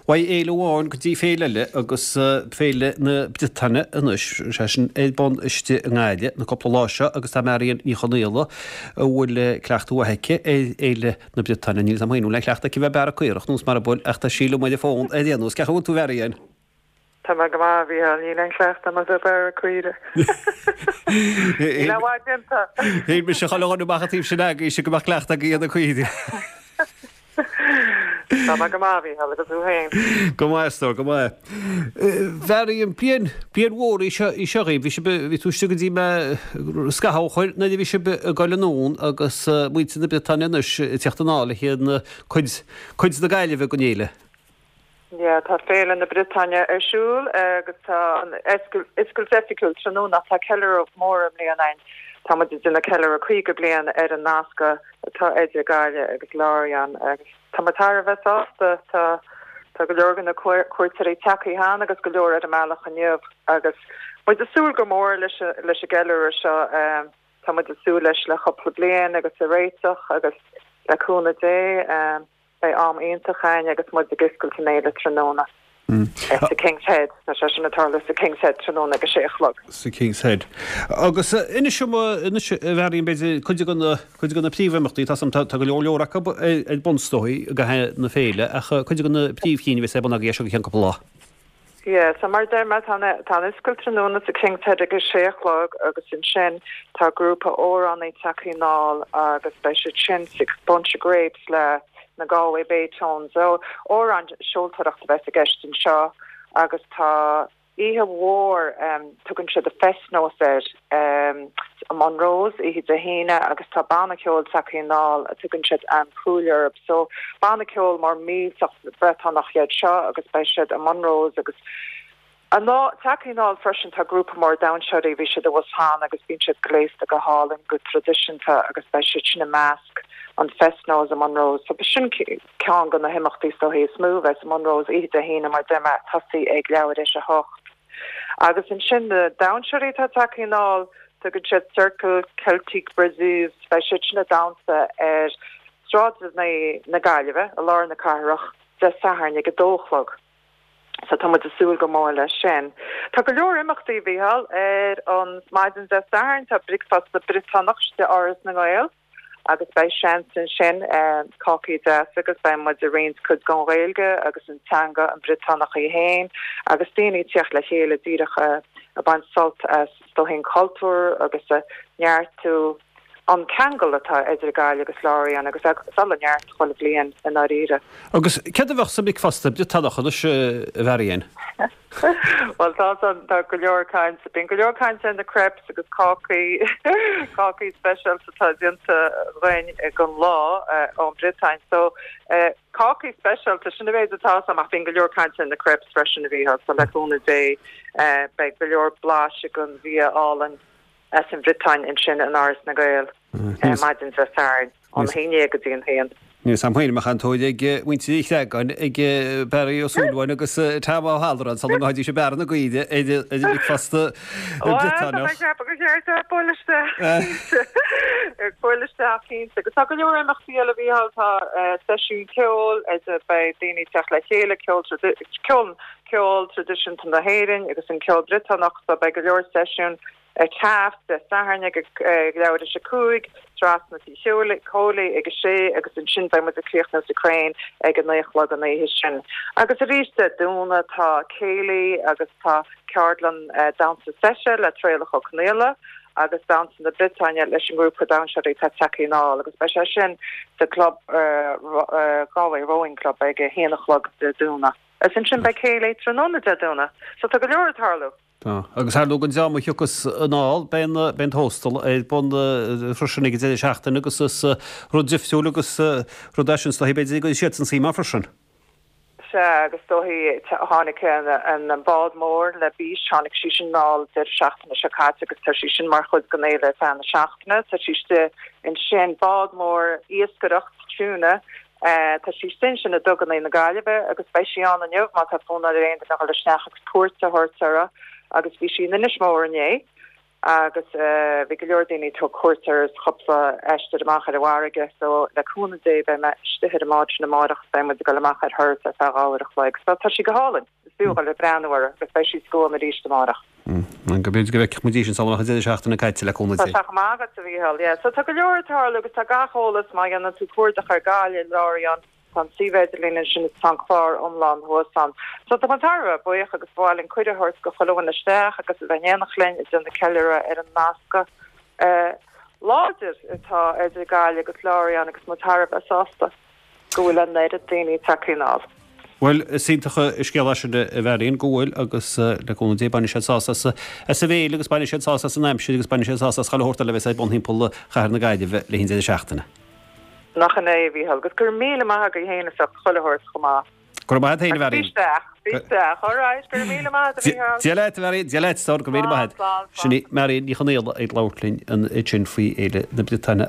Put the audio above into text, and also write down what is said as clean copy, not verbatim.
Uaidh fhéile amháin go dtí féile eile agus Féile na Briotáine anois, sé sin ar bun istigh i nGaillimh na cúpla lá seo agus tá Marion Ní Chonaola a bhfuil cleachtadh mhaith aici ar Fhéile na Briotáine. Níl 'fhios a'm féin an bhfuil aon chleachtadh aici bheith ag bearradh caorach nós mar a bhfuil ach tá sí liom ar an bhfón ar aon nós. Cén chaoi a bhfuil tú a Mharion? Tá mé go maith, a Mhícheáil. Níl aon chleachtadh a'm a bheith ag bearradh caoire. Níl aon mhaith déanta. Shíl mise chuile dhuine amach an taobh sin agaibhse go mbeadh cleachtadh agaibh ar na caoirigh. Tá mé go maith, a Mhícheáil, agus thú féin? Go maith, a stór, go maith. Mharion, bliain, bliain mhór í seo, í seo dhaoibh. Bhí sibh, bhí tú istigh go dtí mé scaitheamh ó shoin nuair a bhí sibh ag goil anonn agus muintir na Briotáine anois ag teacht anall le haghaidh cuid, cuid na Gaillimhe den fhéile. Yeah, tá Féile na Briotáine ar siúl agus tá an oscailt oifigiúil tráthnóna ach tá ceiliúradh mór i mbliana againn. Tá muid ag déanamh ceiliúradh 50 bliain ar an nasc atá idir Gaillimh agus Lorient agus tá muid thar a bheith sásta. Tá tá go leor de na cuairteoirí tagtha cheana agus go leor ar an mbealach inniu agus muid ag súil go mór leis leis an gceiliúradh seo. Tá muid ag súil leis le cúpla bliain agus ag réiteach agus le cúnamh Dé. Beidh am iontach againn agus muid ag oscailt an fhéile tráthnóna sa King's Head. Tá sé sin ag tarlú sa King's Head tráthnóna ag a sé a chlog. Sa King's Head. Agus inis dom, anois a Mharion, b'fhéidir, cuid de na, cuid de na príomhimeachtaí, tá tá go leor leor acu ar bun is dóigh i gcaitheamh na féile, ach cuid de na príomhchinn a bheas ar bun agaibh as seo go ceann cúpla lá. Yeah, so mar a deir mé, tá an oscailt tráthnóna sa King's Head ag a sé a chlog agus ansin tá grúpa amhránaí tagtha anall agus beidh siad sin sa Bunch of Grapes le na Galway Bay Tones. So amhráin seoltóireacht a bheas i gceist anseo agus tá oíche mhór, tugann siad an Fest-Noz air, i Monroe's oíche Dé hAoine agus tá banna ceoil tagtha anall a tugann siad An Cool orthu. So banna ceoil mór millteach Briotanach iad seo agus beidh siad i Monroe's agus anall tagtha anall freisin tá grúpa mór damhsóirí bhí siad abhus cheana agus bíonn siad gléasta go hálainn go traidisiúnta agus beidh siad sin i measc an Fest-Noz i Monroe's. So sin ceann de na himeachtaí is dóichí is mó a bheas i Monroe's oíche Dé hAoine mar deir mé tosaí ag leathuair théis a hocht. Agus ansin na damhsóirí atá tagtha anall tugann siad Cercle Celtique Breizh beidh siad sin ag damhsa ar Sráideanna na Gaillimhe, i lár na cathrach, Dé Sathairn ag a dó a chlog. So tá muid ag súil go mór leis sin. Tá go leor imeachtaí, a Mhícheáil, ar an maidin Dé Sathairn. Tá bricfeasta Briotanach istigh i Áras na nGael agus beidh seans ansin cácaí deasa agus beidh muid ag roinnt cuid den Ghaeilge agus an teanga an Briotanach í féin agus daoine ag teacht le chéile díreach ag baint sult as is dóichí an cultúr agus ag neartú an ceangal atá idir Gaillimh agus Lorient agus ag dul i neart chuile bhliain i ndáiríre. Agus céard a bheadh sa mbricfeasta Briotanach anois, a Mharion? Bhuel, tá san, tá go leor cainte, bíonn go leor cainte ar na crêpes agus cácaí, cácaí speisialta atá déanta againn don lá ón Briotáin. So, cácaí speisialta, sin an mhéid atá agam ach bíonn go leor cainte ar na crêpes freisin a Mhícheáil, so le cúnamh Dé, beidh go leor blaiseadh den bhia álainn. as an Bhriotáin ansin in Áras na nGael maidin Dé Sathairn, ón 11 go dtí an haon. Níl 's a'm féin an mbeadh an tóir ag muintir Uí Chreagáin, ag Barry Ó Súilleabháin agus Tom Ó hAlloráin sula ngabhfaidís ag bearradh na gcaoirigh ar an mbricfeasta Briotanach. Bhuel, tá mé ag ceapadh gur cheart dóibh bualadh isteach cinnte. Bualadh isteach cinnte. Agus tá go leor imeachtaí eile, a Mhícheáil, tá seisiún ceoil, beidh daoine ag teacht le chéile, ceol, ceol ceol traidisiúnta na hÉireann agus an ceol Briotanach so beidh go leor seisiún ar Taft Dé Sathairn ag leathuair théis a 5, trasna Tí Chóilí ag a sé agus ansin beidh muid ag críochnú sa Crane ag a 9 a chlog an oíche sin. Agus arís Dé Domhnaigh tá céilí agus tá ceardlann damhsa seite le Traolach Ó Conaola agus damhsa na Briotáine leis an ngrúpa damhsóirí atá tagtha anall agus beidh sé sin sa gclub Galway Rowing Club ag a haon a chlog Dé Domhnaigh. Agus ansin beidh céilí tráthnóna Dé Domhnaigh. So tá go leor ag tarlú. Tá. Agus ar ndóigh don dream a thiocfas anall, beidh an, beidh an Tóstal ar bun freisin ag an deireadh seachtaine agus is rud difriúil agus rud é sin is dóichí b'fhéidir go gcuirfidh siadsan suim ann freisin. Sea, agus is dóichí tháinig an bád mór La Biche, tháinig sí sin anall deireadh seachtaine seo caite agus tá sí sin mar chuid den fhéile ar feadh na seachtaine. Tá sí istigh ansin, bád mór iascaireacht tuna Tá sí istigh ansin i nduganna na Gaillimhe agus beidh sí ann inniu má tá fonn ar aon duine a dhul isteach agus cuairt a thabhairt uirthi agus bhí sí in Inis Mór inné. Agus bhí go leor daoine ag tabhairt cuairt air is cúpla aistear amach ar an bhfarraige. So le cúnamh Dé beidh mé istigh ar an mbád sin amáireach is beidh muid ag dul amach ar thuras ar feadh uair a chloig. So tá sí go hálainn. Is fiú dhul ag breathnú uirthi agus beidh sí scuan arís amáireach. Go b'fhéidir go bhfeicfidh muid í sin sula mbeadh an deireadh seachtaine caite le cúnamh Dé. Tá sé chomh maith agat a Mhícheál. Yeah. So tá go leor ag tarlú agus tá gach eolas má dhéanann tú cuardach ar Gaillimh Lorient Tá an suíomh idirlín ansin is tá an clár iomlán thuas ann. So tá muid thar a bheith buíoch agus ba mhaith linn cuireadh a thabhairt go chuile dhuine isteach agus a bheith in éineacht linn ag déanamh ceiliúradh ar an nasc láidir atá idir Gaillimh agus Lorient agus muid thar a bheith sásta go bhfuil an oiread daoine tagtha anall. Bhuel, is iontach an scéal é sin a Mharion, go bhfuil agus le cúnamh Dé bainfidh siad sásamh as an bhféile agus bainfidh siad sásamh as an aimsir agus bainfidh siad sásamh as chuile shórt eile a bheas ar bun thimpeall chathair na Gaillimhe le linn deireadh seachtaine. Nach in é, a Mhícheál, agus go raibh míle maith agat féin as ucht chuile shórt chomh maith. Go raibh maith agat féin, a Mharion. Bí isteach, bí isteach, all right, go raibh míle maith agat, a Mhícheál. Dia leat, a Mharion, Dia leat, stór, go raibh míle maith agat. Slán, slán, Sin í Marion Ní Chonaola ag labhairt linn ansin faoi Fhéile na Briotáine.